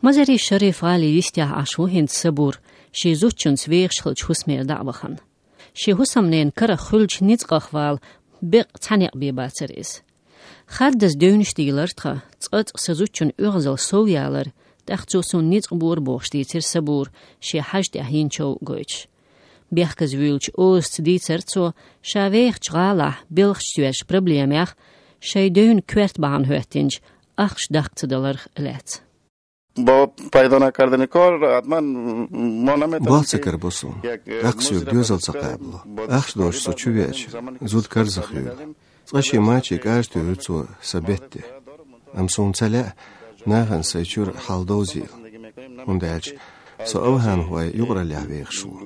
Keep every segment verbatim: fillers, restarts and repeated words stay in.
Мазари-Шариф-гӀалин йистехь Ӏаш ву хӀинца Сабур, шен зудчуьнца вехаш хиллачу хӀусамера дӀа а вахана. Шен хӀусамненан карах хуьлучу ницкъах вала беккъа цхьа некъ бен бацара иза. Хаддаза девнаш дийлира тхан, цкъацкъа сан зудчун оьгӀазалла сов ялар, тӀаккха цо суна ницкъ бора бохуш дийцира Сабура, шен хьажа тӀехь йина чов гойтуш. Бехказа вуьйлучу озаца дийцира цо, ша вехачу гӀалахь белхаш тоьжначу проблемех, шайн девнан коьрта бахьана хӀоьттинчу ахча даккха ца даларх а лаьцна. Бо пайдана кардани кор, атман монаме Бал ца карабо суна. Ахча соьга доьзал ца кхабало. Ахча долуш со чу веача, зуда карзахвелла. Цкъа шен мачийн кӀажа туьйхира цо сан бетте. Амма суна ца лаьа нахана сайн чуьра хьал довзийла. ХӀунда аьлча со овхӀанхойн юкъараллехь вехаш ву.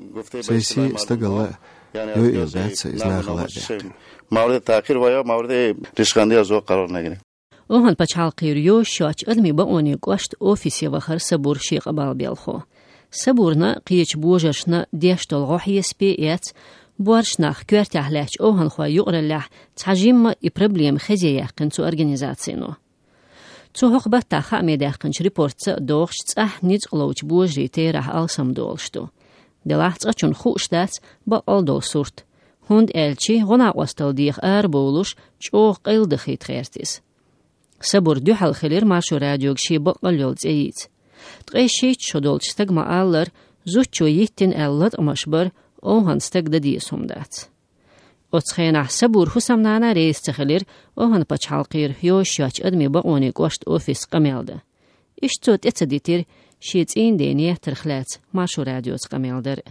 Сайн сий, стагалла йойийла дац сан иза нахала а даьккхина. Мавриде тахир вайо, мавриде ришхандия зо къарор нагини. ОвхӀан пачхьалкхера йозуш йоцчу адамийн бакъонийн кӀоштан офисе вахара Сабур шен къамел белхо. Сабурна, кхечу божаршна деш долу гӀо хьесапе а эцна, боьрша нах коьртехь лаьттачу овхӀанхойн юкъараллехь цхьа жимма и проблема хезе яьккхина цу организацино. Цу хӀокху баттахь хааме даьккхинчу репортца а догӀуш, цӀахь ницкъ ловчу божарийн терахь алсамдолуш ду. Делахь цкъачунна хууш дац баккъал долу сурт. ХӀунда аьлча гӀо-накъосталла деха арабовлуш, чӀогӀа къайладахийта гӀерта иза. Сабур дуьхьал хилира Маршо радиога шен баккъал йолу цӀе йийца. Ткъе шийтта шо долчу стага ма-аллара, зудчо йиттина аьлла латкъамаш бар овхӀан стага дан деза хӀума дац. Оцу хенахь Сабуран хӀусамнана реза ца хилира овхӀан пачхьалкхера йозуш йоцчу адамийн бакъонийн кӀоштан офисца къамел дан. Иштта цо тӀе ца дитира шен цӀийнан ден еттарх лаьцна Маршо радиоца къамел дар а.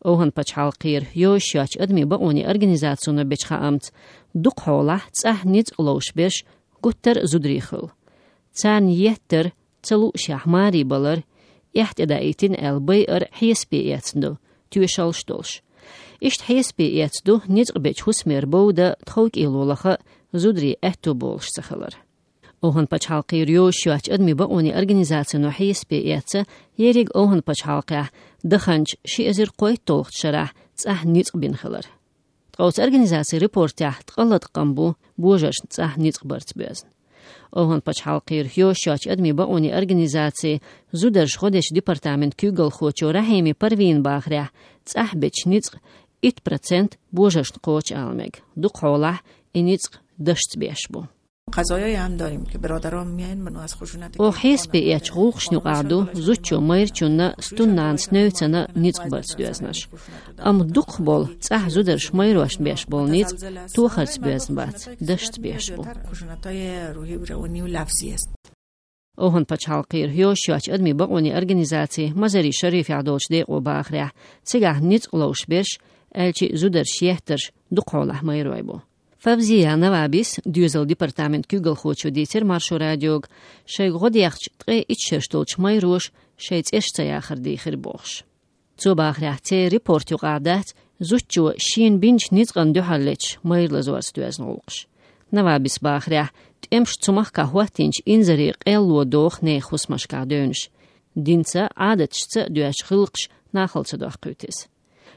ОвхӀан пачхьалкхера йозуш йоцчу адамийн бакъонийн организацино бечу хаамца, дукха хьолахь цӀахь ницкъ ловш берш гуттар а зударий хуьлу. Царна еттар ца луушехь маре балар, эхь тӀедаийтина аьлла байар хьесапе эцна ду, тоьшаллаш долуш. Иштта хьесапе эцна ду ницкъ бечу хӀусамера бовда тховкӀело лаха а, зударийн аьтто болуш ца хилар. ОвхӀан пачхьалкхера йозуш йоцчу адамийн бакъонийн организацино хьесапе эцна, ерриг овхӀан пачхьалкхехь даханчу ши эзар кхойтталгӀачу шарахь цӀахь ницкъ бина хилар. Ткъа оцу организацин репортехь ткъа латкъам бу божаршна цӀахь ницкъ барца боьзна. ОвхӀан пачхьалкхера йозуш йоцчу адамийн бакъонийн организацин зударша гӀо дечу департаментан куьйгалхочо Рахьими Парвина бахарехь, цӀахь бечу ницкъан итт процент божаршна кхочу ала мега, дукха хьолахь и ницкъ дашца беш бу. Оха хьесапе эцначу гӀуллакхашна юкъахь ду зудчо майрачунна, стуннанас невцана ницкъ барца доьзнарш. Амма дукхахболу цӀахь зударша майрошна беш болу ницкъ тохарца боьзна бац, дашца беш бу. ОвхӀан пачхьалкхера йозуш йоцчу адамийн бакъонийн организацин Мазари-Шарифехь долчу декъо бахарехь, цигахь ницкъ ловш берш, аьлча а зударша еттарш дукха хьолахь майрой бу. Фавзия Навабис, доьзалан департаментан куьйгалхочо, дийцира Маршо радиога, шайга гӀо дехча ткъе итт шераш долчу майроша шайн цӀераш ца яхар дийхира бохуш. Цо бахарехь, церан репорт юкъахь дац зудчо шена бинчу ницкъана дуьхьал леташ майра лазорца доьзна гӀуллакхаш. Навабис бахарехь, тӀемаша цу махкахь хӀоттийначу инзаре къелло доху нехан хӀусамашкахь девнаш. Динца а, Ӏадаташца а доьзначу гӀиллакхаша нахала ца доккхуьйту иза.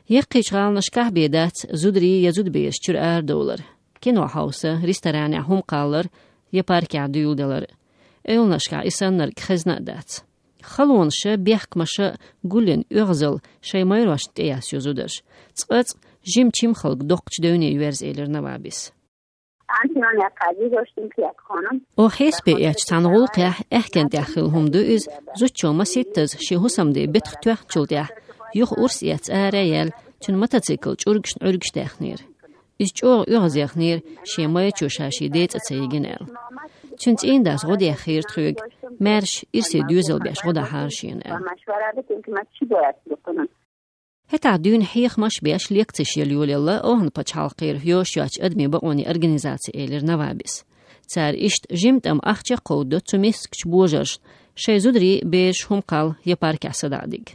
Яккхийчу гӀаланашкахь бен дац зударий я зудабераш чуьра арадовлар. Кино хьовса, ресторанехь хӀума кхаллар я паркехь дуьйладалар. Эвланашкахь и саннарг хезна а дац. Халонаша, бехкамаша гулйина оьгӀазалла шайн майрошна тӀеяссайо зударша. Цкъацкъа жима чимхалг доккхачу девне йоьрзу, элира Навабис. Оха хьесапе эцначу цхьана гӀуллакхехь аьхкенна тӀехь хилла хӀума ду иза, зудчо масийттаза шен хӀусамден бетах тоьхначул тӀаьхьа юха урс эцна ара а яьлла, цуьнан мотоцикл чӀургашна Ӏуьргаш даьхнера. Иза чӀогӀа оьгӀазъяхнера шен майрачо ша шен ден цӀа ца йигна аьлла. Цуьнан цӀийнан дас гӀо дехира тхоьга, маьрша ирсе доьзал беш гӀо дахьара шена аьлла. ХӀетахь дуьйна хьехамаш а беш, лекцеш яла йолаелла овхӀан пачхьалкхера йозуш йоцчу адамийн бакъонийн организаци, элира Навабис. Цара иштта жимма тӀама ахча а кховдадо цу мискачу божаршна, шайн зударий, бераш хӀума кхалла я паркехь садаӀа дига.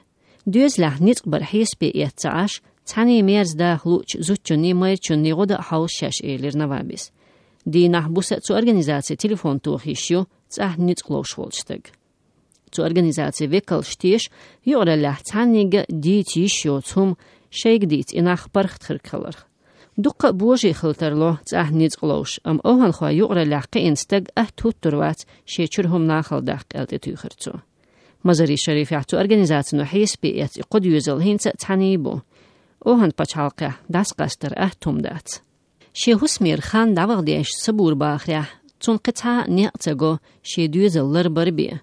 Доьзалехь ницкъ бар хьесапе эцна ца Ӏаш, цхьаьний мерза даха луучу зудчунний, майрачунний гӀо дан а хьовса шаьш, элира Навабис. Дийнахь, буса а цу организаци телефон тоха йиш ю цӀахь ницкъ ловш волчу стага. Цу организацин векалша теша, юкъараллехь цхьаннега дийца йиш йоцу хӀума шайга дийца и нах паргӀат хир хиларх. Дуккха а божарий хила тарло цӀахь ницкъ ловш, амма овхӀанхойн юкъараллехь кхиъна стаг атта хӀуттур вац шен чуьра хӀума нахала даккха, аьлла тӀетуьйхира цо. Мазари Шарифехь цу организацино хьесапе эцна и кхо доьзал хӀинца а цхьаьний бу. Охан пачхьалкхехь дӀасакъастар атта хӀума дац. Шен хӀусамера хан дӀаваха дезаш Сабур бахарехь, цунна кхин цхьа а некъ ца го шен доьзал ларбар бен.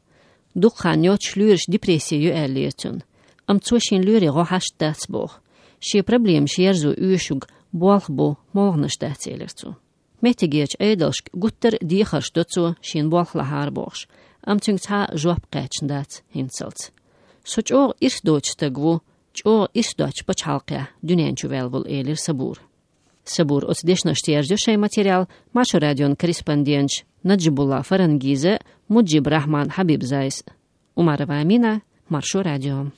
Дукха хан йоццуш лоьраш депресси ю аьллера цунна. Амма цо шен лоьрийн гӀо хьашт дац боху. Шен проблемаш ерзо оьшург болх бу, молханаш дац, элира цо. Меттигерчу Ӏедалшка гуттар а дехарш до цо шена болх лахьара бохуш, амма цуьнга цхьа а жоп кхаьчна дац хӀинцалц. Со чӀогӀа ирс доцу стаг ву, чӀогӀа ирс доцчу пачхьалкхехь дуьнен чу ваьлла волу, элира Сабура. Сабура оцу дешнашца ерзайо шайн материал Маршо радион корреспонденташ Наджибулла Фарангиза, Муджиб Рахман Хьабибзайс. Умарова Амина, Маршо радио.